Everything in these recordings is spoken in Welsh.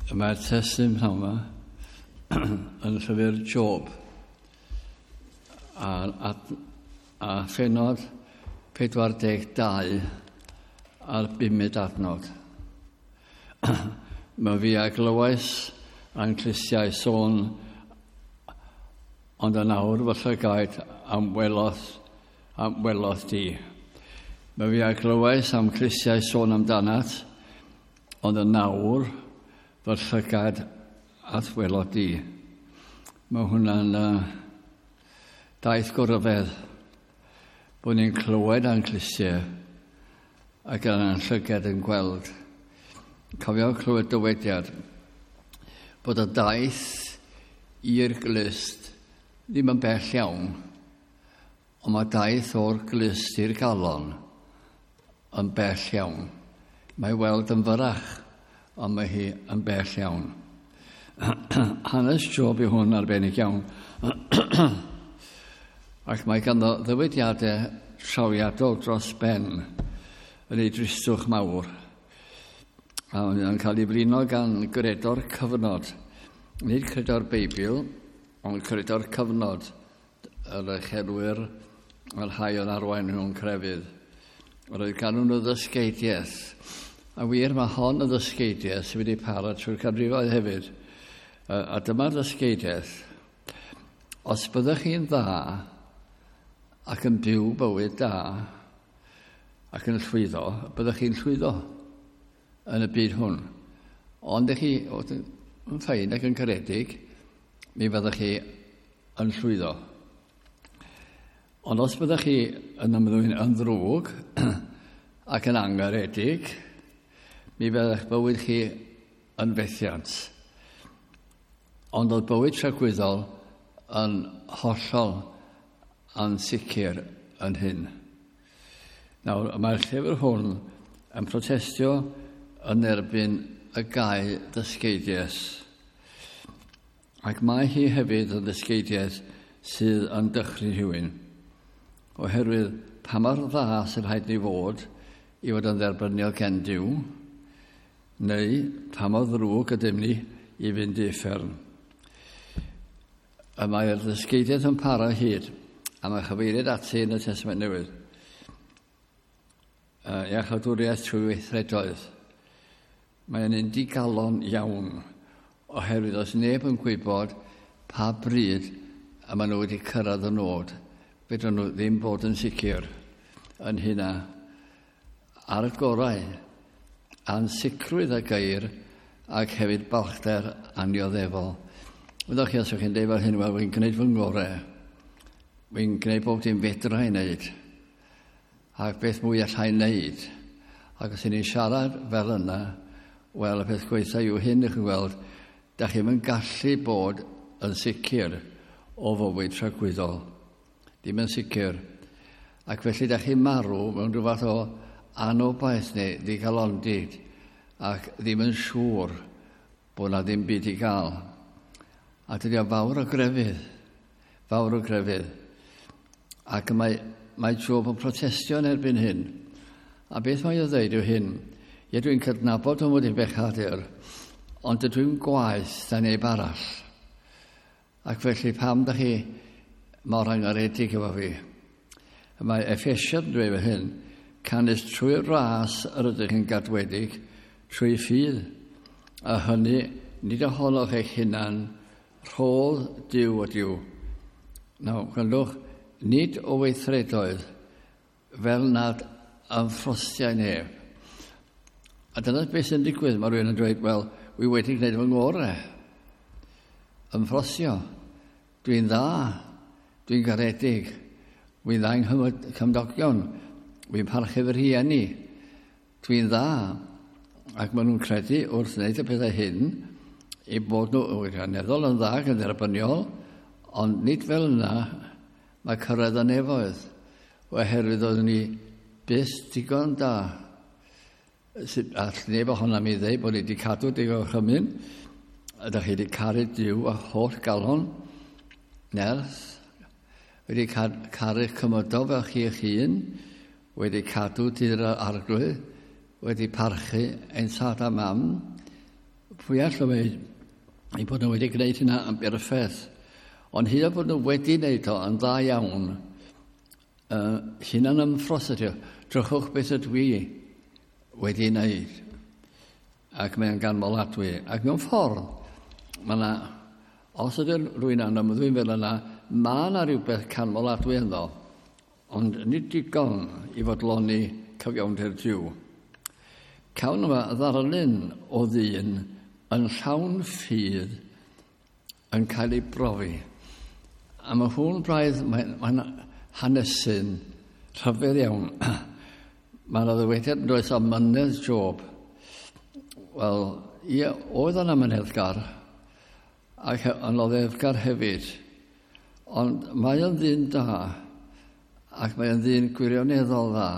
Mae'r testun pnawn yma yn llyfr Job a phenod 42 a'r bumed adnod. Mae fi a glywais a'n clustiau sôn, ond yn awr fy llygaid am welodd di. Mae fi a glywais am clustiau sôn amdanat, ond yn awr fy llygad at welodd di. Mae hwnna'n daith goryfedd, bod ni'n clywed a'n clustiau ac yn llygad yn gweld. Cofio clywed dywediad bod y daith i'r glust ddim yn bell iawn, ond mae daith o'r glust i'r galon yn bell iawn. Mae weld yn fyrrach, ond mae hi yn bell iawn. Hanes Job yw hwn arbennig iawn. Ac mae ganddo ddywediadau trawiadol dros ben yn ei dristwch mawr. A mae'n cael ei flino gan gredo'r cyfnod. Nid credo'r Beibl, ond credo'r cyfnod, yr uchelwyr a'r rhai o'n arwain nhw'n crefydd. Roedd gan nhw ddysgeidiaeth. A wir, mae hon y ddysgeidiaeth sydd wedi para trwy'r canrifoedd hefyd. A dyma'r ddysgeidiaeth. Os byddwch chi'n dda ac yn byw bywyd da ac yn llwyddo, byddwch chi'n llwyddo yn y byd hwn. Ond ych chi yn ffain ac yn caredig, mi fyddwch chi yn llwyddo. Ond os byddwch chi yn ymddwyn yn ddrwg ac yn angaredig, mi fyddwch bywyd chi yn fethiant. Ond oedd bywyd tragwyddol yn hollol ansicr yn hyn. Nawr, mae'r llyfr hwn yn protestio yn erbyn y gau ddysgeidiaeth. Ac mae hi hefyd yn ddysgeidiaeth sydd yn dychryn rhywun. Oherwydd pa mor dda sy'n rhaid ni fod i fod yn dderbyniol gen Duw, neu pa mor ddrwg ydym ni i fynd i uffern. Y mae'r ddysgeidiaeth yn para hyd, a mae chyfeiriad ati yn y Testament Newydd. Iachawdwriaeth trwy weithredoedd. Mae'n un digalon iawn, oherwydd os neb yn gwybod pa bryd y maen nhw wedi cyrraedd y nod, fedrwn nhw ddim bod yn sicr yn hynna. Ar y gorau, ansicrwydd a geir ac hefyd balchder annioddefol. Wyddoch chi, os ydych chi'n dweud fel hyn, wel, wy'n gwneud fy ngorau. Wy'n gwneud bob dim fedra i wneud. Ac beth mwy allai wneud. Ac os ydych chi'n siarad fel yna, wel, y peth gwaetha yw hyn, ych chi'n gweld, da chi'm yn gallu bod yn sicr o fywyd tragwyddol. Ddim yn sicr. Ac felly da chi'n marw mewn rhyw fath o anobaith neu ddigalondid ac ddim yn siŵr bod na ddim byd i gael. A dydy o fawr o grefydd. Fawr o grefydd. Ac mae Job yn protestio yn erbyn hyn. A beth mae o ddeud yw hyn? Ie, dwi'n cydnabod fy mod i'n bechadur, ond dydw i'n gwaeth na neb arall. Ac felly pam da chi mor angaredig efo fi? Mae Effesiad yn dweud fel hyn, canys trwy'r ras yr ydych yn gadwedig, trwy ffydd, a hynny nid ohonoch eich hunan, rhodd Duw ydyw. Nawr, gwrandwch, nid o weithredoedd fel nad ymffrostiau neb. A dyna beth sy'n digwydd. Mae rhywun yn dweud, wel, wi wedi gwneud fy ngorau. Ymffrostio. Dwi'n dda. Dwi'n garedig. Wi'n dda yng nghymdogion. Wi'n parchu fy rhieni. Dwi'n dda. Ac maen nhw'n credu wrth wneud y pethau hyn i bod nhw wirioneddol yn dda ac yn dderbyniol, ond nid fel yna mae cyrraedd y nefoedd, oherwydd oeddwn ni byth digon da. All neb ohonom i ddeud bod ni wedi cadw digon gorchymyn, ydych chi wedi caru Duw a holl galon, nerth, wedi caru cymydog fel chi eich hun, wedi cadw dydd yr Arglwydd, wedi parchu ein tad a mam, Pwy all ddweud eu bod nhw wedi gwneud hynna yn berffaith? Ond hyd yn bod nhw wedi wneud o yn dda iawn, hunan ymffros ydy o. Drychwch beth ydw i wedi wneud. Ac mae'n ganmoladwy. Ac mewn ffordd, mae yna, os ydy rhywun yn ymddwyn fel yna, mae yna rhywbeth canmoladwy ynddo, ond nid digon i fodloni cyfiawnder Duw. Cawn yma ddarlun o ddyn yn llawn ffydd yn cael ei brofi. A mae hwn braidd, mae'n hanesyn rhyfedd iawn. Mae yna ddywediad yn does am mynedd Job. Wel, ie, oedd yna myneddgar, ac yn oddefgar hefyd. Ond mae o'n ddyn da, ac mae o'n ddyn gwirioneddol dda.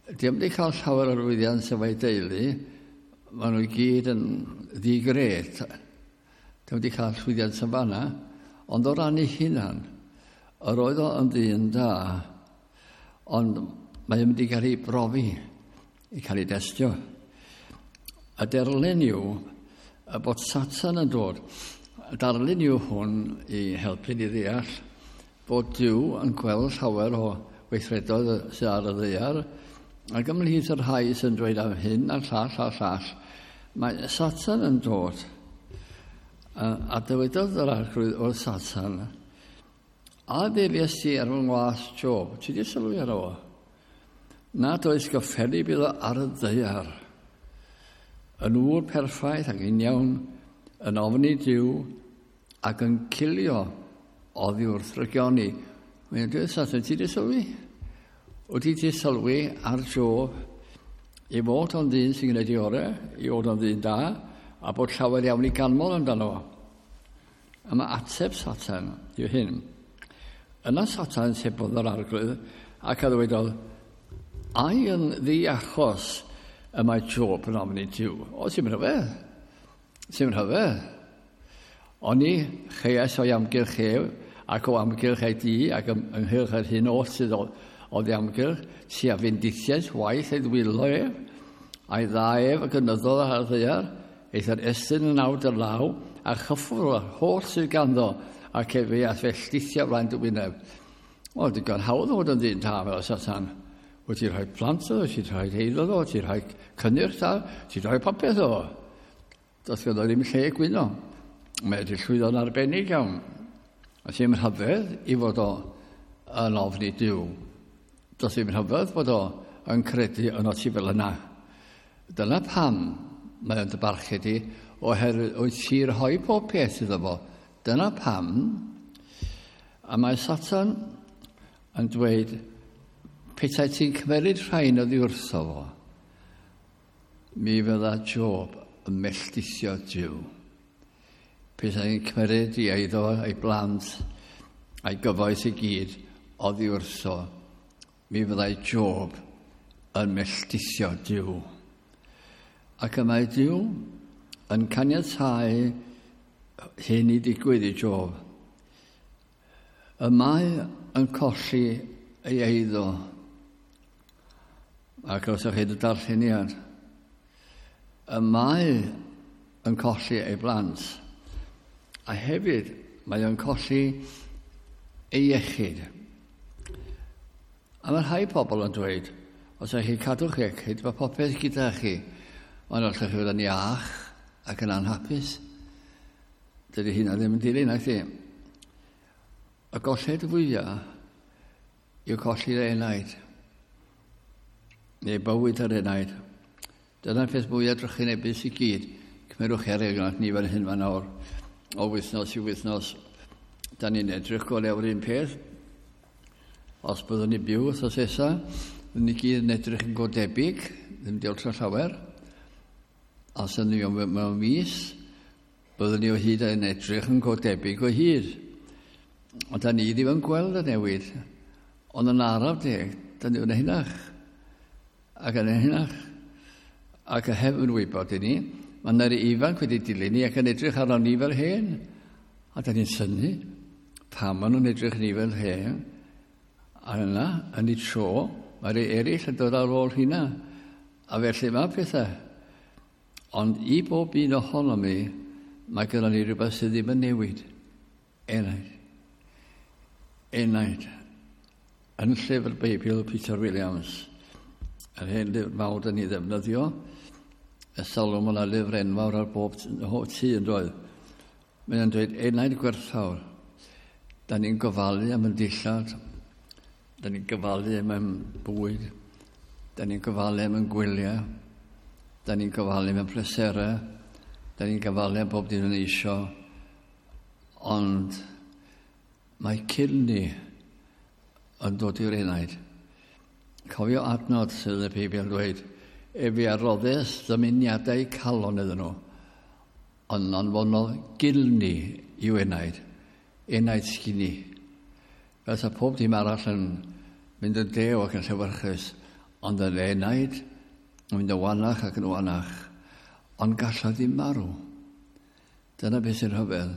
Di o'm wedi cael llawer o lwyddiant efo'i deulu, maen nhw i gyd yn ddi-gred. Di o'm wedi cael llwyddiant yn fanna, ond o ran ei hunan, yr oedd o yn ddyn da, ond mae o'n mynd i gael ei brofi, i cael ei destio. A derlun yw y bod Satan yn dod. Y darlun yw hwn i helpu ni ddeall bod Duw yn gweld llawer o weithredoedd sydd ar y ddaear, ac ymhlith y rhai sy'n dweud am hyn a'r llall a'r llall, mae Satan yn dod. A dywedodd yr Arglwydd wrth Satan, a ddelies ti ar fy ngwas Job? Ti di sylwi ar o? Nad oes gyffelyb iddo ar y ddaear. Yn ŵr perffaith ac uniawn, yn ofni Duw ac yn cilio oddi wrth rygioni. Mae'n dweud Satan, ti di sylwi? Wyt ti sylwi ar Job i fod o'n ddyn sy'n gwneud ei orau, i fod o'n ddyn da, a bod llawer iawn i ganmol amdano fo. A mae ateb Satan yw hyn. Yna Satan sebodd yr Arglwydd ac a ddywedodd, ai yn ddi-achos y mae Job yn ofni Duw? O, ti'n rhyfedd. Ti'n rhyfedd. Oni cheiais o'i amgylch ef, ac o amgylch ei dŷ, ac ynghylch yr hyn oll sydd o'i amgylch, ti a fendithiais waith ei ddwylo ef, a'i dda ef y gynyddodd ar y ddaear, eithr estyn yn awr dy law, a chyffwrdd o'r holl sydd ganddo, ac efe a'th felldithio flaen dy wyneb. O, digon hawdd o fod yn ddyn da fel Satan. Wyt ti'n rhoi plant o, ti'n rhoi eiddo o, ti'n rhoi cynnyrch da, ti'n rhoi popeth o. Does ganddo ddim lle gwyno. Mae wedi llwyddo'n arbennig iawn. A sy'n rhyfedd i fod o yn ofni Duw. Does ddim rhyfedd bod o yn credu yno ti fel yna. Dyna pam mae o'n dy barchu di, oherwydd wyt ti'n rhoi pob peth iddo fo. Dyna pam. A mae Satan yn dweud, petai ti'n cymeryd rhain oddi wrtho fo, mi fydda Job yn melltithio Duw. Petai ti'n cymeryd ei eiddo, ei blant, a'i gyfoeth i gyd oddi wrtho, mi fyddai Job yn melltithio Duw. Ac y mae Duw yn caniatáu hyn i ddigwydd i Job. Y mae yn colli ei eiddo. Ac os ydych chi'n darlleniad, y mae yn colli ei blant. A hefyd, mae o'n colli ei iechyd. A mae rhai pobl yn dweud, os ydych chi'n cadw'ch iechyd, mae popeth gyda chi, ond allwch chi fod yn iach ac yn anhapus. Dydy hynna ddim yn dilyn, nac di. Y golled fwyaf yw colli'r enaid, neu bywyd yr enaid. Dyna'r peth mwyaf drychinebus i gyd. Cymerwch er enghraifft ni fan hyn fan awr, o wythnos i wythnos. Da ni'n edrych go lew un peth. Os byddwn ni byw wythnos nesa, byddwn ni gyd yn edrych yn go debyg, ddim diolch o llawer. Os ydyn ni mewn mis, byddwn ni o hyd yn edrych yn go debyg o hyd. Ond da ni ddim yn gweld y newid. Ond yn araf deg, da ni yn hynach. Ac yn hynach. Ac heb yn wybod i ni, mae yna rei ifanc wedi dilyn ni ac yn edrych arno ni fel hen. A da ni'n synnu pam maen nhw'n edrych ni fel hen. A yna, yn ei tro, mae rei eraill yn dod ar ôl hynna. A felly mae pethau. Ond i bob un ohonom ni, mae gyda ni rhywbeth sydd ddim yn newid. Enaid. Enaid. Yn llyfr Beibl Peter Williams, yr hen lyfr mawr dyn ni ddefnyddio, y salwm yna lyfr enfawr ar bob tŷ yn doedd. Mae'n dweud enaid gwerthfawr. Da ni'n gofalu am yn dillad, da ni'n gofalu am yn bwyd, da ni'n gofalu am yn gwyliau, da ni'n gofalu am yn pleserau, da ni'n gofalu am bob dim yn eisio, ond mae cilni yn dod i'r enaid. Cofio adnod sydd yn y Beibl yn dweud, efe a roddes ddymuniadau calon iddyn nhw, ond anfonodd gilni i'w enaid, enaid sgini. Fel sa pob dim arall yn mynd yn dew ac yn llewyrchus, ond yn enaid yn mynd yn wanach ac yn wanach, ond gallodd ddim marw. Dyna beth sy'n rhyfedd.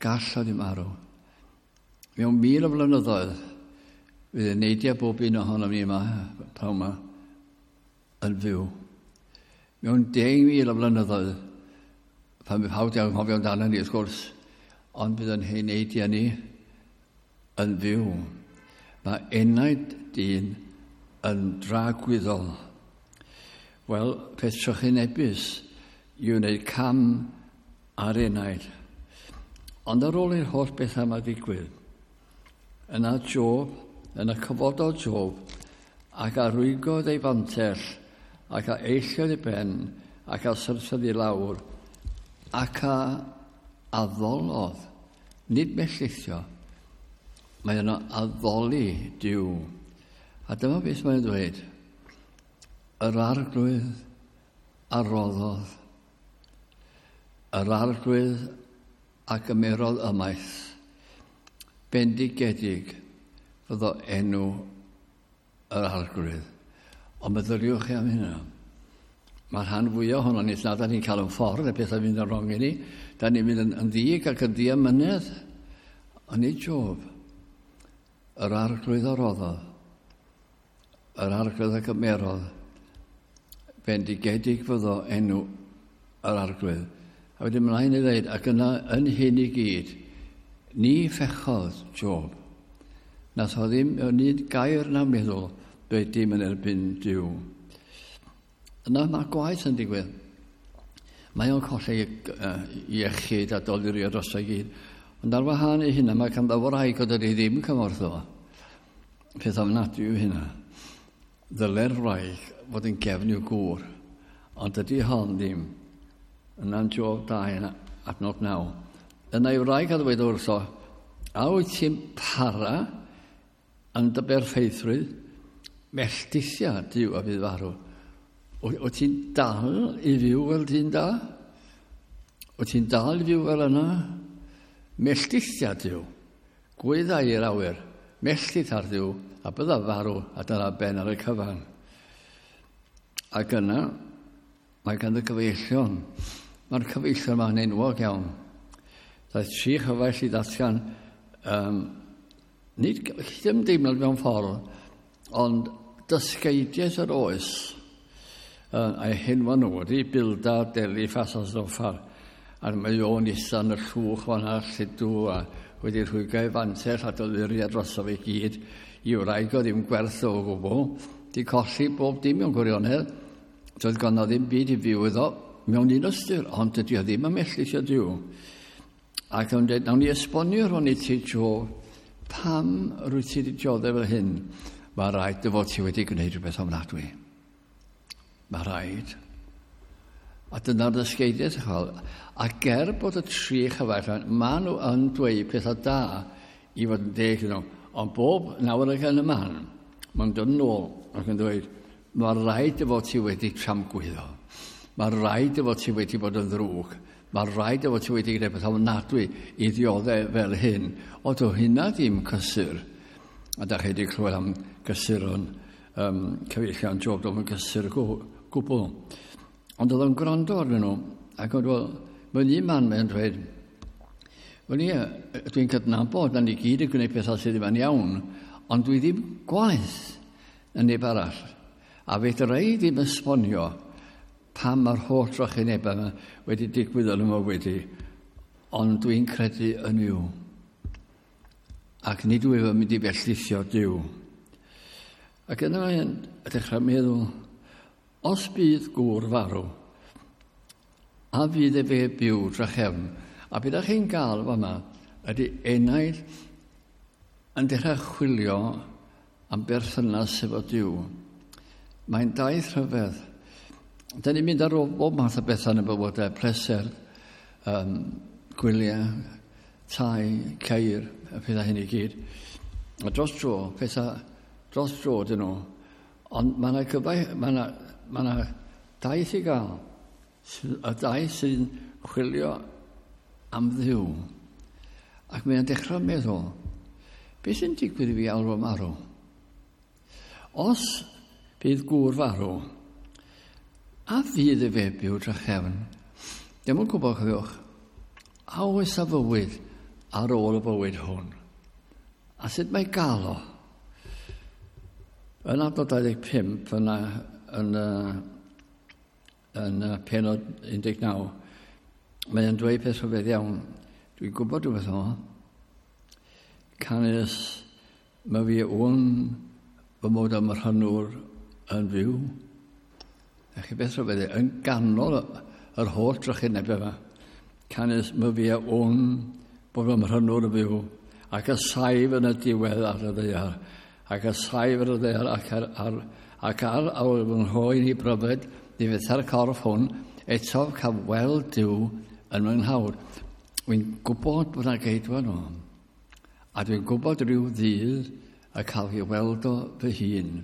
Gallodd ddim marw. Mewn 1000 o flynyddoedd, fydd eneidiau bob un ohonom ni yma, pnawn yma, yn fyw. Mewn 10,000 o flynyddoedd, pan fydd pawb 'di anghofio amdano ni, wrth gwrs, ond bydd yn heneidiau ni yn fyw. Mae enaid dyn yn dragwyddol. Wel, peth trychinebus i wneud cam ar enaid. Ond ar ôl i'r holl bethau yma ddigwydd, yna Job, yna cyfododd Job, ac a rwygodd ei fantell, ac a eilliodd ei ben, ac a syrthiodd i lawr, ac a addolodd, nid melltithio, mae yno addoli Duw. A dyma beth mae'n dweud. Yr Arglwydd a roddodd. Yr Arglwydd a gymerodd ymaith. Bendigedig fyddo enw yr Arglwydd. Ond meddyliwch chi am hynna. Mae'r rhan fwyaf ohono ni, na da ni'n cael yn ffordd, y pethau fynd yn wrong i ni, da ni'n mynd yn ddig ac yn ddiamynedd. Ond nid Job. Yr Arglwydd a roddodd. Yr Arglwydd a gymerodd. Bendigedig fyddo enw yr Arglwydd. A wedyn mlaen i ddweud, ac yna yn hyn i gyd, ni fechodd Job. Nath o ddim mewn un gair na meddwl dweud dim yn erbyn Duw. Yna mae gwaith yn digwydd. Mae o'n colli iechyd a dolurio dros o'i gyd. Ond ar wahân i hynna, mae ganddo wraig o dydy ddim cymorth o. Peth ofnadwy yw hynna. Ddyle'r wraig fod yn gefn i'w gŵr, ond dydy hon ddim. Yna'n Job 2 yn adnod 9. Yna ei wraig a ddweud wrtho, a wyt ti'n para yn dy berffeithrwydd? Melltithia Duw a fydd farw. Wyt ti'n dal i fyw fel dyn da? Wyt ti'n dal i fyw fel yna? Melltithia Duw. Gwyddau i'r awyr. Melltith ar Dduw, a bydda farw, a dyna ben ar y cyfan. Ac yna, mae gan y cyfeillion. Mae'r cyfeillion yma'n enwog iawn. Daeth tri chyfaill i ddatgan, nid ddim deimlad mewn ffordd, ond dysgeidiaeth yr oes. A'i henwa nhw wedi Bildad, Eliffas a Zoffar. A mae o'n ista yn y llwch fan'na, lludw, a wedi rhwygo ei fantell a doluriau droso fe gyd. I wraig o ddim gwerth o gwbl. Di colli bob dim mewn gwirionedd. Doedd ganddo ddim byd i fyw iddo mewn un ystyr, ond dydy o ddim yn melltithio Duw. Ac o'n dweud, nawn ni esbonio rhwng i ti, Job, pam rwyt ti wedi dioddef fel hyn? Mae rhaid dy fod ti wedi gwneud rhywbeth ofnadwy. Mae rhaid. A dyna'r ddysgeidiaeth, chwal. A ger bod y tri chyfaill, maen nhw yn dweud pethau da i fod yn deg iddyn nhw. Ond bob nawr ac yn y man, mae'n dod yn ôl ac yn dweud, mae rhaid dy fod ti wedi tramgwyddo. Mae rhaid dy fod ti wedi bod yn ddrwg. Mae rhaid dy fod ti wedi gwneud pethau ofnadwy i ddioddef fel hyn. O, do hynna ddim cysur. A da chi wedi clywed am gysuron cyfeillion Job, doedd yn gysur gwbl. Ond oedd o'n gwrando arnyn nhw, ac oedd, wel, mewn un man mae'n dweud, wel ie, dwi'n cydnabod na ni gyd yn gwneud pethau sydd ddim yn iawn, ond dwi ddim gwaeth na neb arall. A fedra i ddim esbonio pam mae'r holl drychinebau yma wedi digwydd yn y mywyd i, ond dwi'n credu yn Nuw. Ac nid wyf yn mynd i felltithio Duw. Ac yna mae'n dechrau meddwl, os bydd gŵr farw, a fydd efe byw drachefn? A beth ydych chi'n gael fama ydy enaid yn dechrau chwilio am berthynas efo Duw. Mae'n daith rhyfedd. Da ni'n mynd ar ôl bob math o bethau yn y bywydau, pleser, gwyliau, tai, ceir, y pethau hyn i gyd. A dros dro, pethau dros dro dyn nhw. Ond mae yna cyfai, mae yna, mae yna daith i gael. Y daith sy'n chwilio am Dduw. Ac mae'n dechrau meddwl, beth sy'n digwydd i fi alw marw? Os bydd gŵr farw, a fydd y fe byw drachefn? Dim yn gwybod, cofiwch, a oes a fywyd ar ôl y bywyd hwn? A sut mae gael o? Yn adnod 25, yna, yn, yn penod 19, mae'n dweud peth rhyfedd iawn. Dwi'n gwybod rhywbeth o. Canys mae fi wn fy mod am y rhannwr yn fyw. A chi beth rhyfedd, yn ganol yr holl drychineb yma. Canys mae fi wn bod fy mhrynwr yn fyw, ac y saif yn y diwedd ar y ddaear, ac y saif yn y ddaear ac ar, ar, ac ar awr fy nghroen i bryfed, ddifetha'r corff hwn, eto cael weld Duw yn fy nghawr. Wy'n gwybod bod yna geidwad o. A dwi'n gwybod rhyw ddydd y cael ei weld o fy hun.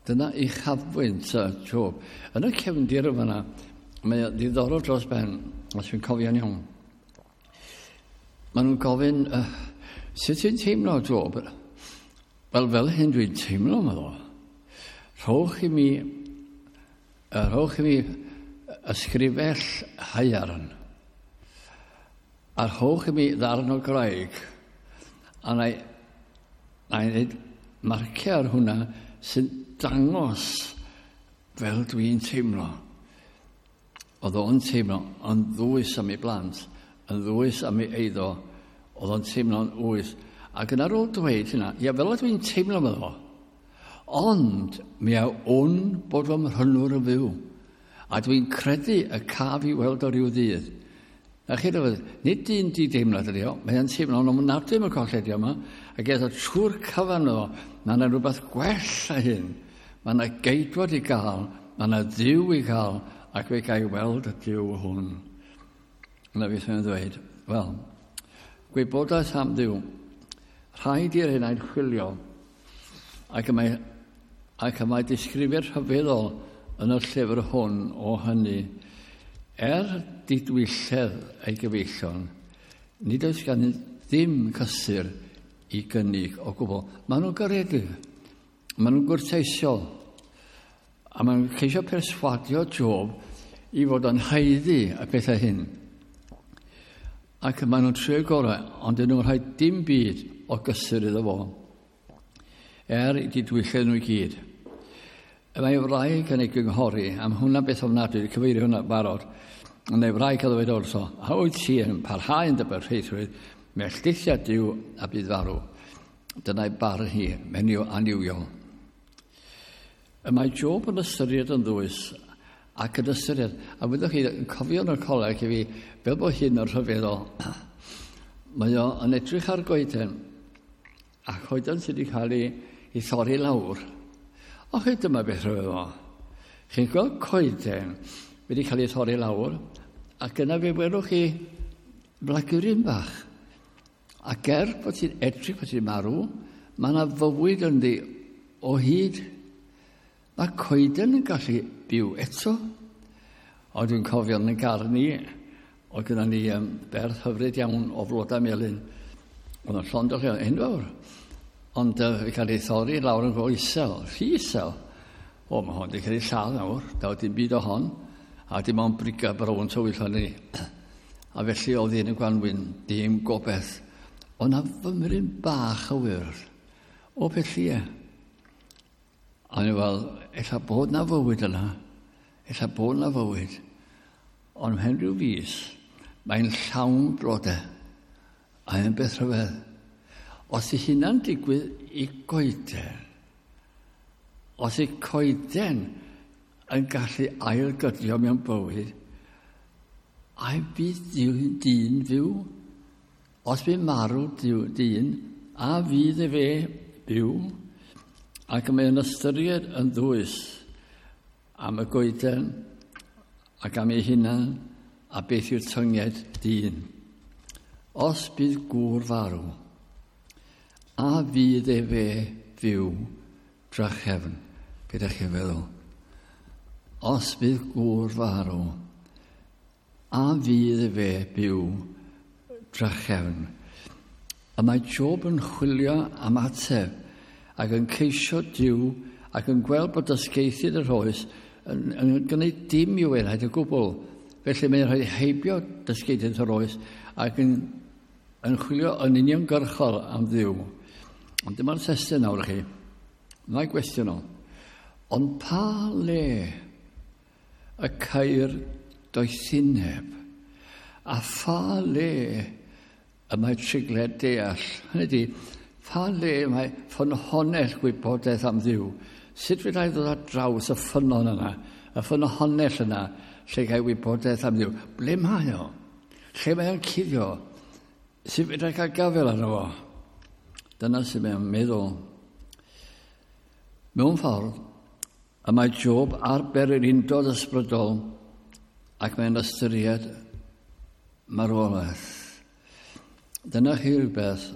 Dyna uchafbwynt y Job. Yn y cefndir yma, mae o'n ddiddorol dros ben, os dwi'n cofio'n iawn. Maen nhw'n gofyn, sut ti'n teimlo, Job? Wel, fel hyn dwi'n teimlo, meddwl. Rhowch i mi, rhowch i mi ysgrifell haearn. A rhowch i mi ddarn o graig. A na i, na i wneud marciau ar hwnna sy'n dangos fel dwi'n teimlo. Oedd o'n teimlo yn ddwys am ei blant, yn ddwys am ei eiddo, oedd o'n teimlo'n ddwys. Ac yn ar ôl dweud hynna, ia, fel dwi'n teimlo meddwl fo. Ond mi a wn bod fy mhrynwr yn fyw. A dwi'n credu y caf i weld o ryw ddydd. Na chi rhyfedd, nid dyn di deimlad ydi o, mae o'n teimlo'n ofnadwy am y colledion yma, ac eto trwy'r cyfan o, mae yna rhywbeth gwell a hyn. Mae yna geidwad i gael, mae yna Dduw i gael, ac fe gael weld y Duw hwn. Yna beth mae'n dweud, wel, gwybodaeth am Dduw, rhaid i'r enaid chwilio, ac y mae, ac y mae disgrifiad rhyfeddol yn y llyfr hwn o hynny. Er didwylledd ei gyfeillion, nid oes gan ddim cysur i gynnig o gwbl. Maen nhw'n garedig, maen nhw'n gwrteisiol, a maen nhw'n ceisio perswadio Job i fod yn haeddu y pethau hyn. Ac maen nhw'n trio gorau, ond dyn nhw'n rhoi dim byd o gysur iddo fo. Er i didwylledd nhw i gyd. Mae wraig yn ei gynghori, am hwnna beth ofnadwy, cyfeirio hwnna barod, ond ei wraig a ddweud wrtho, a wyt ti yn parhau yn dy berffeithrwydd, melltithiad Duw a bydd farw. Dyna'i barn hi, menyw annuwiol. Y mae Job yn ystyried yn ddwys ac yn ystyried, a wyddwch chi, yn cofio yn y coleg i fi, fel bod hyn yn rhyfeddol, mae o yn edrych ar goeden, a choeden sydd wedi cael ei, ei thorri lawr. O chi, dyma beth rhyfeddol. Chi'n gweld coeden wedi cael ei thorri lawr, ac yna fe welwch chi blaguryn bach. Ac er bod ti'n edrych bod ti'n marw, mae yna fywyd ynddi o hyd. Mae coeden yn gallu byw eto. O, dwi'n cofio yn y gardd ni, oedd gyda ni berth hyfryd iawn o flodau melyn. Oedd yn llond o lle enfawr. Ond uh, cael ei thorri lawr yn go isel, rhy isel. O, mae hon wedi cael ei lladd nawr, daw dim byd o hon, a dim ond briga brown tywyll o'n ni. A felly oedd un y gwanwyn, dim gobeith. Ond na fymryn bach o wyrdd, o beth lle. A ni fel, ella bod na fywyd yna, Ella bod na fywyd, ond mhen rhyw fus, mae'n llawn blodau, a yn beth rhyfedd. Os i hynna'n digwydd i goeden, os i coeden yn gallu ailgydio mewn bywyd, ai bydd dyn fyw? Os bydd marw dyn, a fydd efe byw? Ac mae'n ystyried yn ddwys am y goeden ac am ei hunan a beth yw'r tynged dyn. Os bydd gŵr farw, a fydd efe fyw drachefn? Be ydych chi'n feddwl? Os bydd gŵr farw, a fydd efe byw drachefn? A mae Job yn chwilio am ateb ac yn ceisio Duw ac yn gweld bod dysgeithydd yr oes yn gwneud dim i'w enaid o gwbl. Felly mae'n rhoi heibio dysgeithydd yr oes ac yn chwilio yn uniongyrchol am Dduw. Ond dyma'r testun nawr chi. Mae gwestiwn o. Ond pa le y ceir doethineb a pha le y mae trigled deall? Hynny ydi, pha le mae ffynhonnell gwybodaeth am Dduw? Sut fedra i ddod ar draws y ffynnon yna, y ffynhonnell yna, lle gael wybodaeth am Dduw? Ble mae o? Lle mae o'n cuddio? Sut fedra i gael gafael arno fo? Dyna sydd mae'n meddwl. Mewn ffordd, y mae Job ar bererindod ysbrydol ac mae'n ystyried marwolaeth. Dyna chi rhywbeth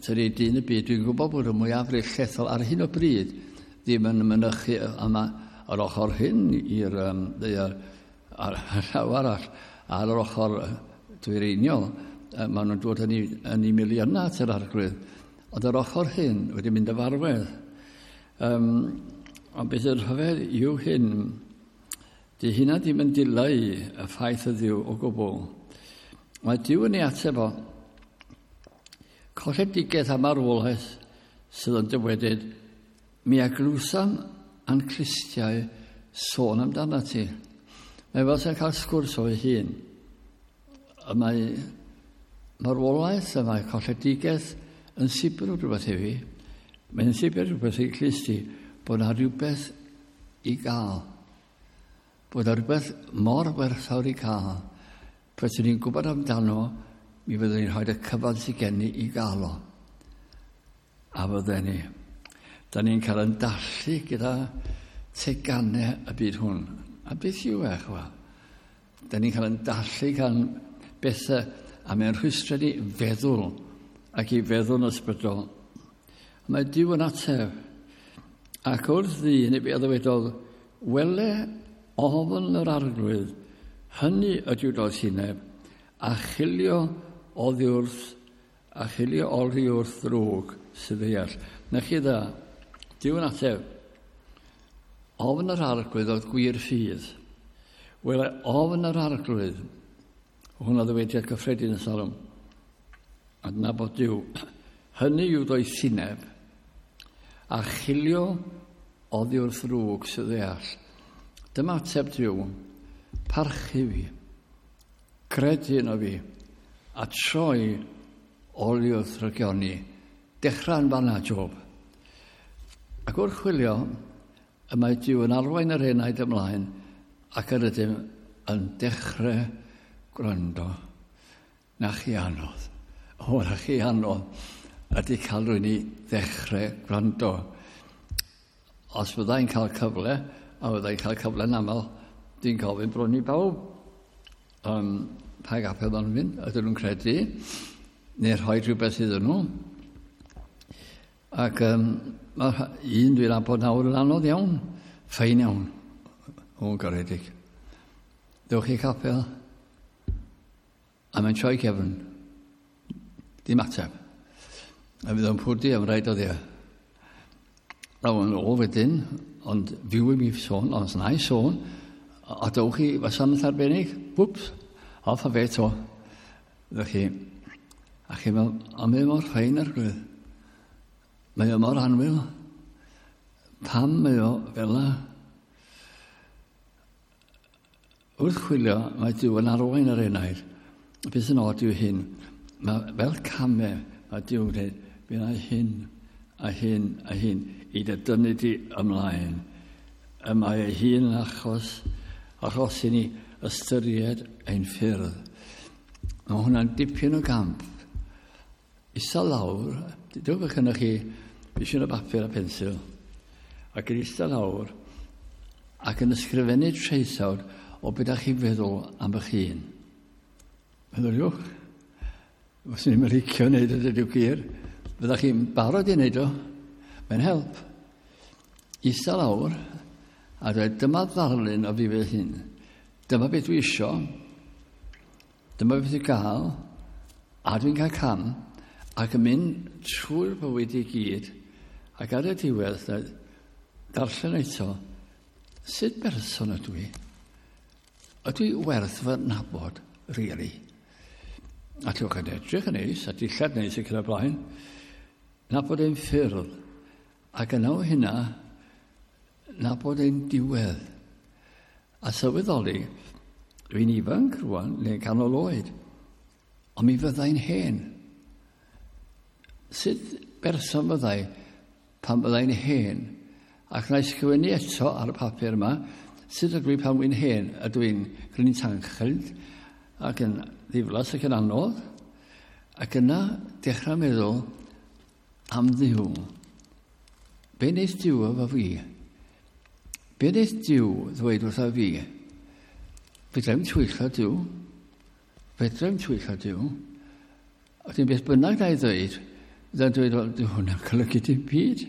tydi dyn y byd. Dwi'n gwybod bod y mwyafrif llethol ar hyn o bryd ddim yn mynychu yma ar ochr hyn i'r ddaear, ar llaw arall, ar yr ochr dwyreiniol. Maen nhw'n dod yn ei miliynau at yr Arglwydd. Ond yr ochr hyn wedi mynd y farwedd. Ond beth yw'r rhyfedd yw hyn, di hynna ddim yn dileu y ffaith y Dduw o gwbl. Mae Duw yn ei ateb o. Colledigaeth a marwolaeth sydd yn dywedyd, mi a glwsam a'n clustiau sôn amdano ti. Mae fel sy'n cael sgwrs o'i hun. Y mae marwolaeth a mae colledigaeth yn sibr rhywbeth i fi. Mae'n sibr rhywbeth i clusti bod yna rhywbeth i gael. Bod yna rhywbeth mor werthfawr i gael. Pryd ni'n gwybod amdano, mi fyddwn ni'n rhoi y cyfan sydd gen i i gael o. A fydden ni. Da ni'n cael yn dallu gyda teganau y byd hwn. A beth yw e, chwa? Da ni'n cael yn dallu gan bethau a mae'n rhwystro ni feddwl ac i feddwl yn ysbrydol. A mae Duw yn ateb. Ac wrth ddyn i fi a ddywedodd, wele ofn yr Arglwydd, hynny ydyw doethineb, a chilio oddi wrth, a chilio oddi wrth ddrwg sydd ddeall. Na chi dda, Duw yn ateb. Ofn yr Arglwydd oedd gwir ffydd. Wele ofn yr Arglwydd, hwnna ddywediad cyffredin y Salm. Adnabod Duw. Hynny yw doethineb, a chilio oddi wrth ddrwg sydd ddeall. Dyma ateb Duw. Parchu fi, credu yno fi, a troi oddi wrth rygioni. Dechrau'n fanna, Job. Ac wrth chwilio, y mae Duw yn arwain yr enaid ymlaen ac yr ydym yn dechrau gwrando. Na chi anodd. O, na chi anodd ydy cael rhywun i ddechrau gwrando. Os fyddai'n cael cyfle, a fyddai'n cael cyfle yn aml, dwi'n gofyn bron i bawb pa gapel maen nhw'n mynd, ydyn nhw'n credu, neu rhoi rhywbeth iddyn nhw. Ac mae un dwi'n nabod nawr yn anodd iawn, ffein iawn, o'n garedig. Dewch i capel, a mae'n troi cefn, dim ateb. A fydd o'n pwrdu am rai dyddiau. A o'n ôl wedyn, ond fyw i mi sôn, ond na i sôn, a dewch i wasanaeth arbennig, whoops, off a fe to. Ddech chi, a chi'n meddwl, ond mae mor ffein Arglwydd. Mae o mor annwyl. Pam mae o fel la? Wrth chwilio, mae Duw yn arwain yr enaid. Beth sy'n od yw hyn. Mae fel camau, mae Duw yn dweud, fi na hyn, a hyn, a hyn, i dy dynnu di ymlaen. Y mae ei hun yn achos, achos i ni ystyried ein ffyrdd. Mae hwnna'n dipyn o gamp. Isa lawr, dewch bod gennych chi bishyn o bapur a pensil, ac yn eistedd lawr, ac yn ysgrifennu traethawd o beth ydych chi'n feddwl am eich hun. Meddyliwch, os ni'n licio wneud o, dydy'w gwir, fydda'ch chi'n barod i wneud o, mae'n help. Eistedd lawr, a dweud, dyma ddarlun o fi fy hun. Dyma beth dwi isio, dyma beth dwi'n gael, a dwi'n cael cam, ac yn mynd trwy'r bywyd i gyd, ac ar y diwedd, darllen eto, sut berson ydw i? Ydw i werth fy nabod, really? A ti'n yn edrych yn neis, a dillad neis ac yn y blaen. Nabod ein ffyrdd. Ac yna o hynna, nabod ein diwedd. A sylweddoli, dwi'n ifanc rwan, neu'n canol oed, ond mi fyddai'n hen. Sut berson fyddai pan fyddai'n hen? Ac na i sgwennu eto ar y papur yma, sut ydw i pan wy'n hen? Ydw i'n gryn tanchlyd ac yn ddiflas ac yn anodd? Ac yna dechrau meddwl am Dduw. Be wneith Duw efo fi? Be wneith Duw ddweud wrtha fi? Fedra i'm twyllo Duw. Fedra i'm twyllo Duw. A wedyn beth bynnag na i ddweud, fydda'n dweud, wel, dyw hwnna'n golygu dim byd.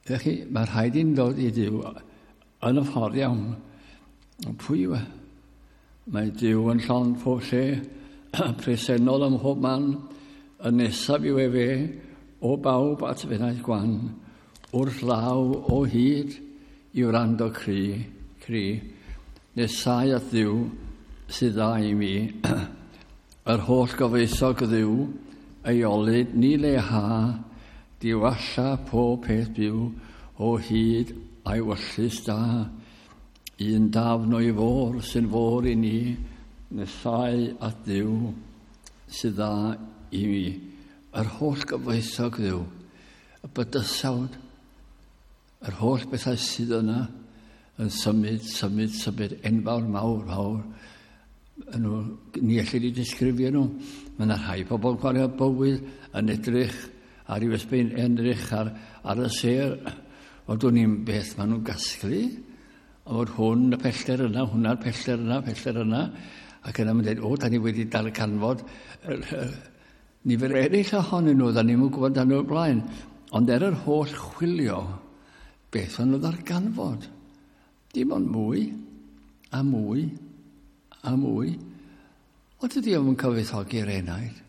Felly, mae rhaid i'n dod i Dduw yn y ffordd iawn. Ond pwy yw e? Mae Duw yn llond pob lle, presennol ym mhob man, y nesaf yw efe, o bawb at fenaeth gwan, wrth law o hyd i wrando cri, cri, nesau at Dduw sydd dda i mi, yr holl gyfoethog Dduw, ei olud ni leha, diwalla pob peth byw o hyd a'i wyllys da. Un dafn o'i fôr sy'n fôr i ni, nesau at Dduw sydd dda i mi. Yr holl gyfoethog Dduw, y bydysawd, yr holl bethau sydd yna yn symud, symud, symud, enfawr, mawr, mawr. Nhw, ni ellir i disgrifio nhw. Mae yna rhai pobl yn gwario bywyd yn edrych ar i'w ysbein, edrych ar, ar y sêr. Ond dwn i'n beth maen nhw'n gasglu. A fod hwn y pellter yna, hwnna'r pellter yna, pellter yna. Ac yna mae'n dweud, o, da ni wedi darganfod nifer eraill ohonyn nhw, da ni'n gwybod dan nhw'r blaen. Ond er yr holl chwilio, beth o'n nhw ddarganfod? Dim ond mwy, a mwy, a mwy. Ond dydy o'm yn cyfoethogi'r enaid.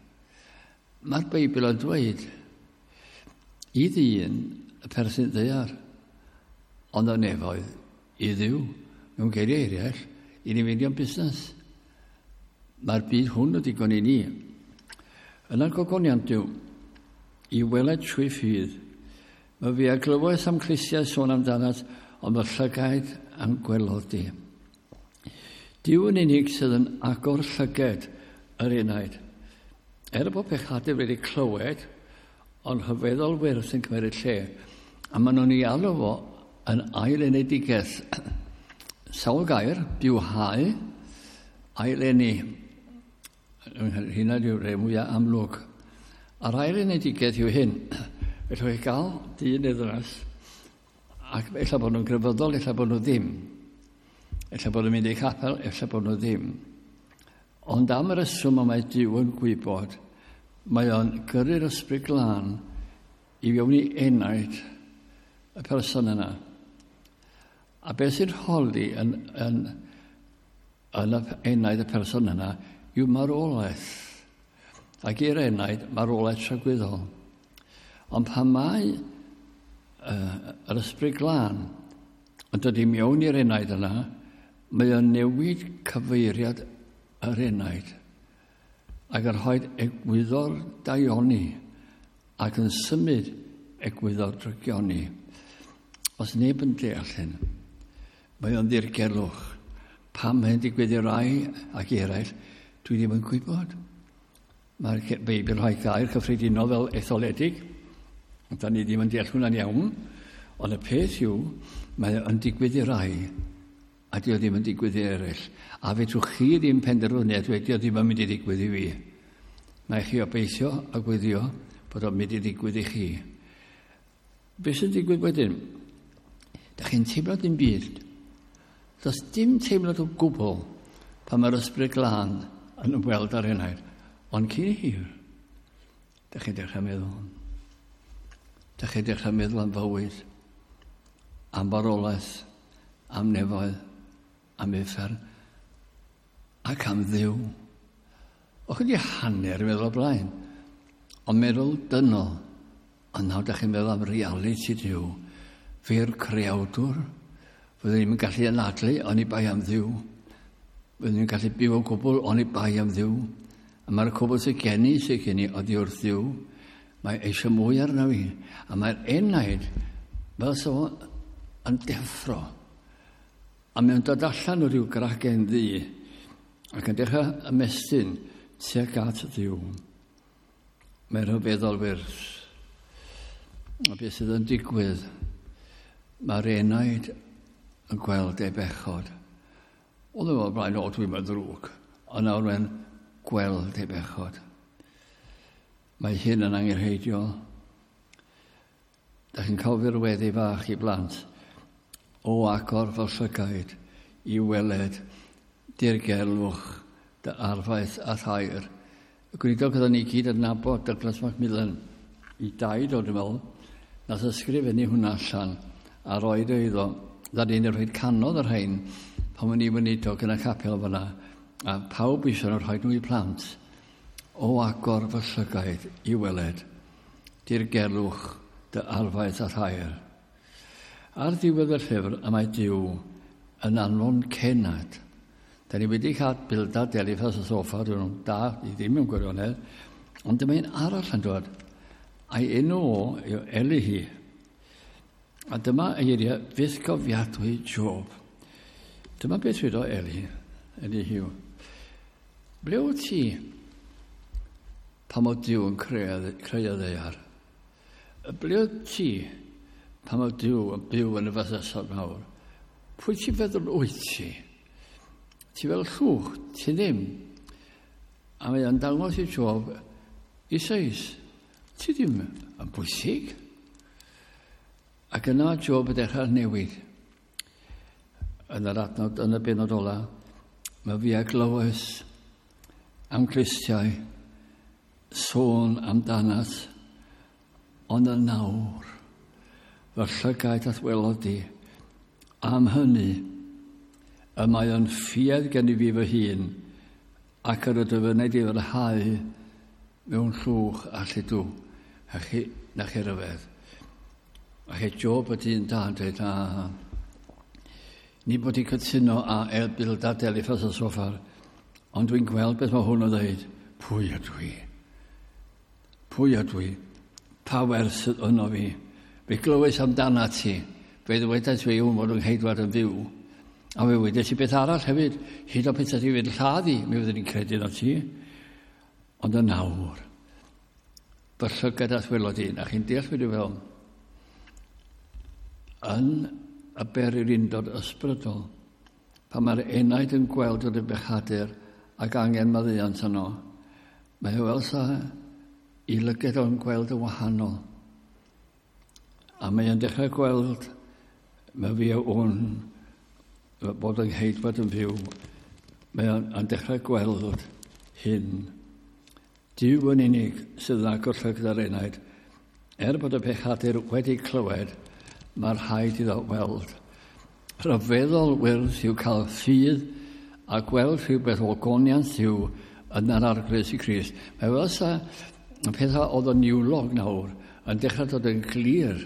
Mae'r Beibl yn dweud, i ddyn y perthyn ddaear, ond y nefoedd i Dduw. Mewn geiriau eraill, i ni fynd i'n busnes. Mae'r byd hwn yn digon i ni. Yna'r gogoniant Duw, i weled trwy ffydd. Mae fi a glywais am clustiau sôn amdanat, ond fy llygaid am gwelodd di. Duw yn unig sydd yn agor llyged yr enaid. Er bod pechadur wedi clywed, ond rhyfeddol wyrth yn cymryd lle, a maen nhw'n ei alw fo yn ail-enedigaeth. Sawl gair, bywhau, ail-eni. Hynna yw'r rhai mwyaf amlwg. A'r ail-enedigaeth yw hyn. Felly chi gael dyn neu ddynes, ac ella bod nhw'n grefyddol, ella bod nhw ddim. Ella bod nhw'n mynd i capel, ella bod nhw ddim. Ond am y reswm y mae Duw yn gwybod, mae o'n gyrru'r ysbryd glân i fewn i enaid y person yna. A beth sy'n holi yn, yn, yn y enaid y person yna yw marwolaeth. Ac i'r enaid, marwolaeth tragwyddol. Ond pan mae yr ysbryd glân yn dod i mewn i'r enaid yna, mae o'n newid cyfeiriad yr enaid ac yn rhoi egwyddor daioni ac yn symud egwyddor drygioni. Os neb yn deall hyn, mae o'n ddirgelwch. Pam mae'n digwydd i rai ac eraill, dwi ddim yn gwybod. Mae'r Beibl rhoi gair cyffredinol fel etholedig. Da ni ddim yn deall hwnna'n iawn. Ond y peth yw, mae yn digwydd i rai, a di o ddim yn digwydd i eraill. A fedrwch chi ddim penderfynu a dweud, di o ddim yn mynd i ddigwydd i fi. Mae chi obeithio a gweddio bod o'n mynd i ddigwydd i chi. Be sy'n digwydd wedyn? Da chi'n teimlo dim byd. Does dim teimlad o gwbl pan mae'r Ysbryd Glân yn ymweld ar enaid. Ond cyn hir, da chi'n dechrau meddwl. Da chi'n dechrau meddwl am fywyd, am farwolaeth, am nefoedd, am uffern, ac am Dduw. O'ch chi wedi hanner meddwl o blaen, ond meddwl dynol, ond nawr da chi'n meddwl am realiti Duw. Fe'r creawdwr, fyddwn ni'n gallu anadlu oni bai am Dduw. Fyddwn ni'n gallu byw o gwbl oni bai am Dduw. A mae'r cwbl sydd gen i, sydd gen i oddi wrth Dduw. Mae eisiau mwy arno fi. A mae'r enaid fel so yn deffro. A mae'n dod allan o ryw gragen ddu ac yn dechrau ymestyn tuag at Dduw. Mae'n rhyfeddol wyrth. A beth sydd yn digwydd, mae'r enaid yn gweld ei bechod. Oedd yn blaen, o, dwi'n mynd ddrwg. Ond nawr mae'n gweld ei bechod. Mae hyn yn angenrheidiol. Da chi'n cofio'r weddi fach i blant. O agor fy llygaid i weled dirgelwch dy arfaeth a thair. Y gweinidog oedden ni gyd yn nabod Douglas Macmillan i daid o, dwi'n meddwl, nath ysgrifennu hwnna allan a roed o iddo. Da ni'n rhoi canodd y rhain pan o'n i weinidog yn y capel fyna, a pawb eisiau nhw rhoi nhw i plant. O agor fy llygaid i weled dirgelwch dy arfaeth a thair. Ar ddiwedd y llyfr, y mae Duw yn anfon cenad. Da ni wedi cael Bildad Eliphas a Soffar, dyn nhw'n da i ddim mewn gwirionedd, ond dyma un arall yn dod. A'i enw o yw Elihu. A dyma eiriau fythgofiadwy Job. Dyma beth wedodd Eli, Elihu. Ble wyt ti pan oedd Duw yn creu y ddaear? Ble wyt ti pan oedd Duw yn byw yn y bydysawd mawr? Pwy ti'n feddwl wyt ti? Ti fel llwch, ti ddim. A mae o'n dangos i Job i seis. Ti ddim yn bwysig. Ac yna Job yn dechrau newid. Yn yr adnod, yn y benod ola, mae fi a glywes am clustiau sôn amdanat, ond yn nawr, fy llygaid at welodd di, am hynny, y mae o'n ffiedd gen i fi fy hun, ac yr ydw fy wneud i fyrhau mewn llwch a lludw, a chi, na chi ryfedd. A chi Job y dyn da yn dweud, a, ni bod i cytuno a El Bildad Eliphas a Soffar, ond dwi'n gweld beth mae hwn o ddeud, pwy ydw i? Pwy ydw i? Pa werth sydd yno fi? Fe glywais amdana ti. Fe ddwedais fi wn fod yng ngheidwad yn fyw. A fe wedes i beth arall hefyd. Hyd o pethau ti fynd lladd i, mi fyddwn i'n credu yno ti. Ond yn nawr, fy llygad at welod i, a chi'n deall beth dwi'n feddwl, yn y bererindod ysbrydol, pan mae'r enaid yn gweld yr bechadur ac angen maddeuant yno, mae o fel sa i lygad o'n gweld yn wahanol. A mae o'n dechrau gweld, mae fi o wn, bod yng ngheidwad yn fyw, mae o'n dechrau gweld hyn. Duw yn unig sydd yn agor llygad ar enaid. Er bod y pechadur wedi clywed, mae'r rhaid iddo weld. Rhyfeddol wyrdd yw cael ffydd a gweld rhywbeth o goniant Duw yn yr Arglwydd Iesu Grist. Mae fel sa y pethau oedd yn niwlog nawr yn dechrau dod yn glir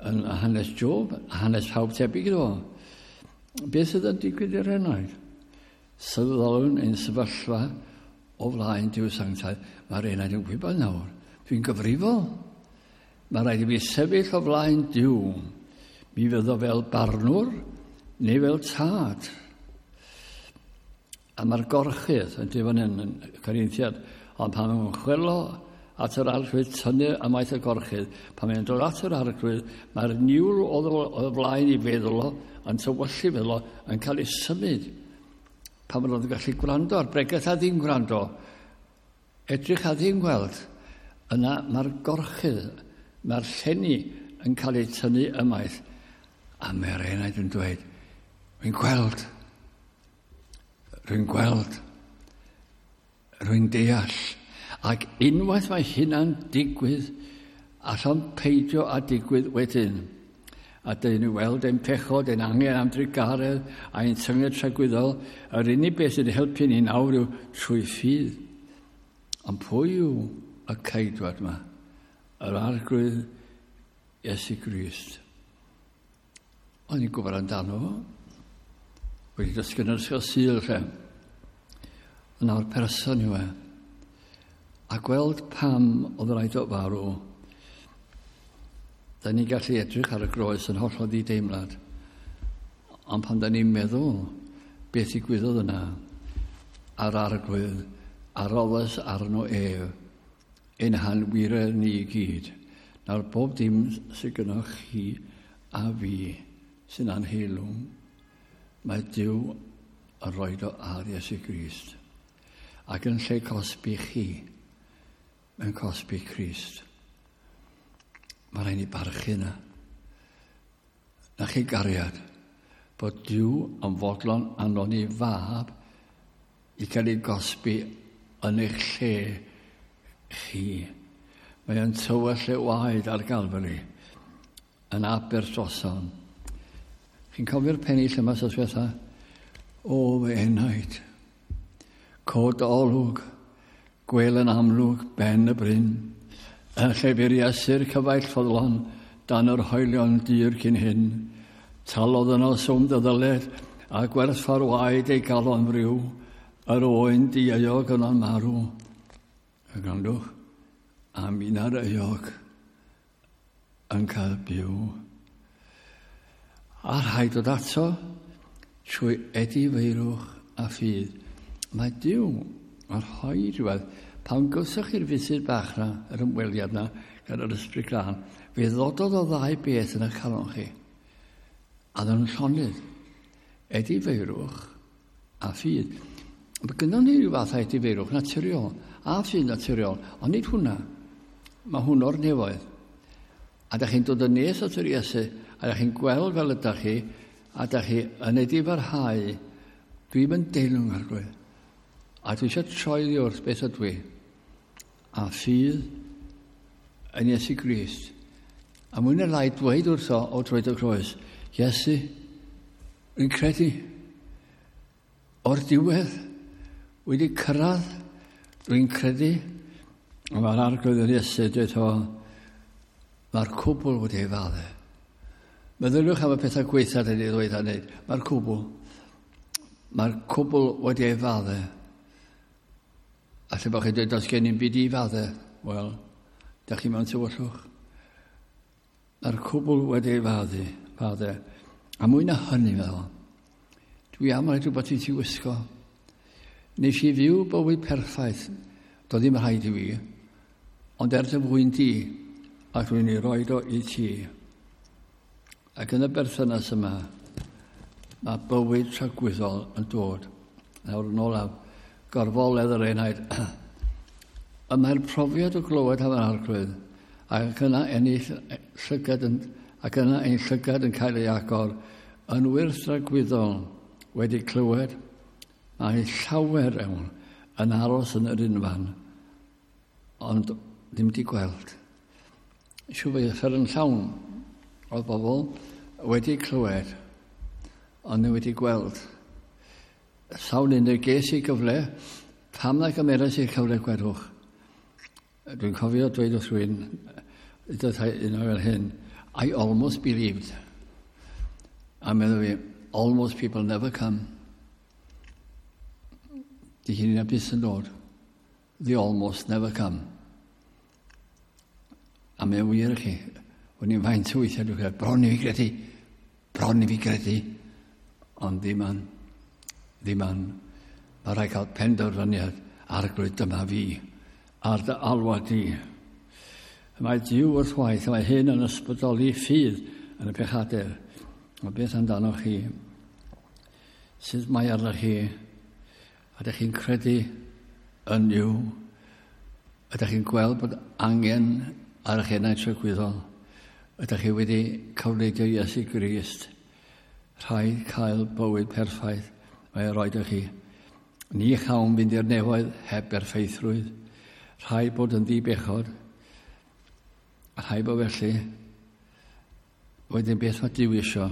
yn hanes Job, hanes pawb tebyg iddo. Beth sydd yn digwydd i'r enaid? Sylweddolwn ein sefyllfa o flaen Duw sanctaidd. Mae'r enaid yn gwybod nawr. Dwi'n gyfrifol. Mae rhaid i fi sefyll o flaen Duw. Mi fyddo fel barnwr neu fel tad. A mae'r gorchudd yn dweud fan hyn yn Corinthiad, ond pan mae'n chwelo at yr arglwydd, tynnu ymaith y gorchudd, pan mae'n dod at yr arglwydd, mae'r niwl oedd o flaen i feddwl o, yn tywyllu feddwl o, yn cael ei symud. Pan maen nhw'n gallu gwrando ar bregeth a ddim gwrando, edrych a ddim gweld, yna mae'r gorchudd, mae'r llenni yn cael ei tynnu ymaith. A mae'r enaid yn dweud, rwy'n gweld, rwy'n gweld, rwy'n deall. Ac unwaith mae hynna'n digwydd, allan peidio a digwydd wedyn. A dyn ni weld ein pechod, ein angen am drugaredd, a ein tynged tragwyddol. Yr unig beth sy'n helpu ni nawr yw trwy ffydd. Ond pwy yw y ceidwad yma? Yr Arglwydd Iesu Grist. O'n i'n gwybod amdano fo. Wedi dysgu yn yr ysgol Sul lle. Ond nawr person yw e. A gweld pam oedd rhaid o farw. Da ni'n gallu edrych ar y groes yn hollol ddideimlad. Ond pan da ni'n meddwl beth ddigwyddodd yna, a'r Arglwydd a roddes arno ef, ein hanwiredd ni i gyd. Nawr bob dim sydd gynnwch chi a fi sy'n anheilwng, mae Duw yn rhoi o ar Iesu Grist. Ac yn lle cosbi chi, mae'n cosbi Crist. Mae rhaid ni barchu yna. Na chi gariad, bod Duw yn fodlon anfon ei fab i gael ei gosbi yn eich lle chi. Mae o'n tywell ei waed ar Galfari yn aber droson. Chi'n cofio'r pennill yma sos diwetha? O, fy enaid, cod olwg, gwel yn amlwg ben y bryn, yn lle bu'r Iesu'r cyfaill ffyddlon dan yr hoelion dir cyn hyn. Talodd yno swm dy ddyled a gwerthfawr waed ei galon friw, yr oen dieuog yno'n marw. A gwrandwch, am un ar euog yn cael byw. A rhaid dod ato trwy edifeirwch a ffydd. Mae Duw yn rhoi rhywbeth. Pan gawsoch chi'r funud bach na, yr ymweliad na, gan yr Ysbryd Glân, fe ddododd o ddau beth yn eich calon chi. A ddyn nhw'n llonydd. Edifeirwch a ffydd. Mae gynnon ni ryw fath o edifeirwch naturiol, a ffydd naturiol, ond nid hwnna. Mae hwn o'r nefoedd. A da chi'n dod yn nes at yr Iesu, a da chi'n gweld fel ydych chi, a da chi yn edifarhau. Dwi'm yn deilwng, Arglwydd. A dwi eisiau troi ddi wrth beth ydw i. A ffydd yn Iesu Grist. A mwy na lai dweud wrtho o droed y croes, Iesu, rwy'n credu, o'r diwedd, wedi cyrraedd, rwy'n credu, a mae'r Arglwydd yn Iesu dweud o, mae'r cwbl wedi ei fadde. Meddyliwch am y pethau gweitha dyn ni ddweud a wneud. Mae'r cwbl. Mae'r cwbl wedi ei fadde. A lle bod chi'n dweud, does gen i'n byd i fadde? Wel, da chi mewn tywyllwch. Mae'r cwbl wedi ei fadde. Fadde. A mwy na hynny, meddwl, dwi am roi rhywbeth i ti wisgo. Nes i fyw bywyd perffaith. Doedd ddim rhaid i fi. Ond er dy fwyn di, ac dwi'n ei roed o i ti. Ac yn y berthynas yma, mae bywyd tragwyddol yn dod. Nawr yn olaf, gorfoledd yr enaid. Y mae'r profiad o glywed am yr Arglwydd, ac yna ennill llygad yn, ac yna ein llygad yn cael ei agor, yn wyrth dragwyddol wedi clywed, mae llawer iawn yn aros yn yr unfan, ond ddim wedi gweld. Siw fe uffern yn llawn oedd bobl wedi clywed, ond ddim wedi gweld. Sawl un ges i gyfle, pam na gymerais i'r cyfle gwedwch? Dwi'n cofio dweud wrth rhywun, un o fel hyn, I almost believed. A meddwl fi, almost people never come. Di hynny na byth yn dod. The almost never come. A mae'n wir i chi, o'n i'n faint o weithiau dwi'n credu, bron i fi gredu, bron i fi gredu, ond ddim an, ddim an. Mae rhaid cael penderfyniad, Arglwydd, dyma fi, ar dy alwad di. Mae Duw wrth waith, mae hyn yn ysbrydoli ffydd yn y pechadur. Ond beth amdanoch chi? Sut mae arnoch chi? Ydych chi'n credu yn Nuw? Ydych chi'n gweld bod angen ar eich enaid tragwyddol? Ydych chi wedi cyfleidio Iesu Grist? Rhaid cael bywyd perffaith mae e roed i chi. Ni chawn fynd i'r nefoedd heb berffeithrwydd. Rhaid bod yn ddi-bechod. Rhaid bod felly. Wedyn beth mae Duw isio?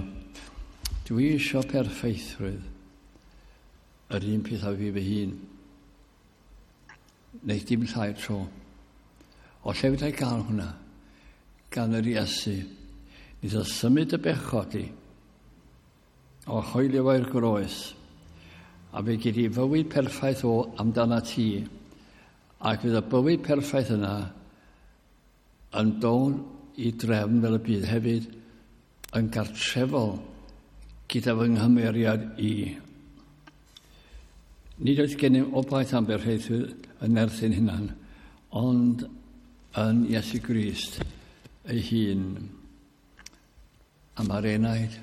Dwi isio perffeithrwydd. Yr un peth â fi fy hun. Neu dim llai tro. O lle fedrai gael hwnna? Gan yr Iesu. Nid o symud y bechod i. O hoelio fo i'r groes. A fe gyd i fywyd perffaith o amdana ti. Ac fydd y bywyd perffaith yna yn dod i drefn fel y bydd hefyd yn gartrefol gyda fy nghymeriad i. Nid oes gennym obaith am berffeithrwydd yn nerth ein hunan, ond yn Iesu Grist ei hun. A mae'r enaid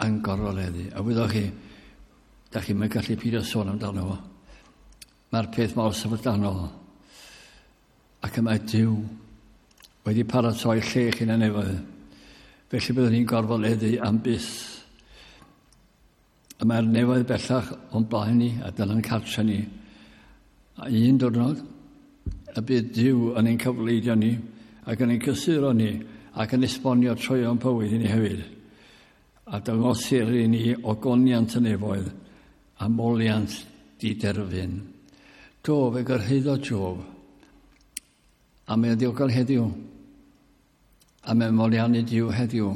yn gorfoleddu. A wyddoch chi, da chi'n mynd gallu peidio sôn amdano fo. Mae'r peth mor syfrdanol. Ac y mae Duw wedi paratoi lle chi'n y nefoedd. Felly byddwn ni'n gorfoleddu am byth. Y mae'r nefoedd bellach o'n blaen ni a dyna'n cartre ni. A un diwrnod, y bydd Duw yn ein cyfleidio ni ac yn ein cysuro ni ac yn esbonio troeon bywyd i ni hefyd. A dangosir i ni ogoniant y nefoedd a moliant diderfyn. Do, fe gyrhaeddodd Job. A mae'n ddiogel heddiw. A mae'n moliannu Duw heddiw.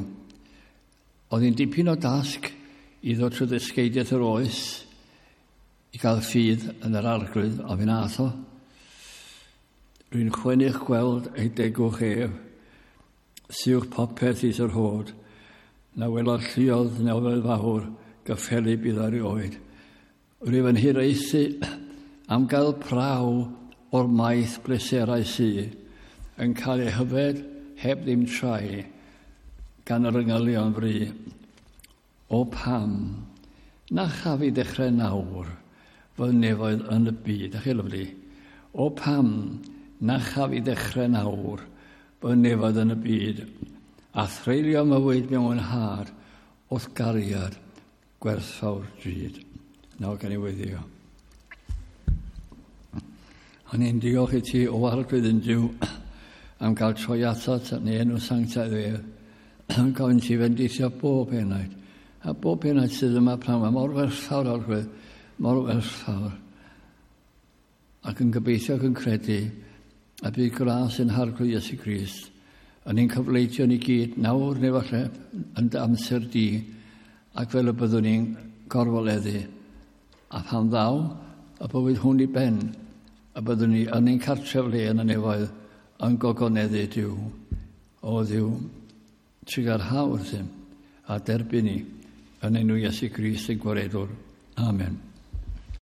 Oedd hi'n dipyn o dasg i ddod trwy ddysgeidiaeth yr oes i gael ffydd yn yr Arglwydd, a fe nath o. Rwy'n chwennych gweld ei degwch ef, siwch popeth is yr hod, na welodd lluodd nefoedd fawr gyffelyb iddo erioed. Rwyf yn hiraethu am gael praw o'r maith bleserau sy yn cael ei hyfed heb ddim trai gan yr yngylion fri. O pam na chaf i ddechrau nawr fy nefoedd yn y byd. Ach chi lyfli. O pam na chaf i ddechrau nawr fy nefoedd yn y byd a threulio mywyd mewn mwynhad wrth gariad gwerthfawr drud. Nawr gan i weddio. A ni'n diolch i ti o Arglwydd yn Duw am gael troi atat yn enw sanctaidd ef. Yn gofyn ti fendithio bob enaid. A bob enaid sydd yma pnawn yma, mor werthfawr, Arglwydd, mor werthfawr. Ac yn gobeithio ac yn credu a bydd gras yn Harglwydd Iesu Grist yn ein cyfleidio ni gyd nawr neu falle yn dy amser di, ac fel y byddwn ni'n gorfoleddu. A pan ddaw y bywyd hwn i ben, y byddwn ni yn ein cartref le yn y nefoedd yn gogoneddu Duw. O Dduw, trugarha wrthym a derbyn ni yn enw Iesu Grist ein Gwaredwr. Amen.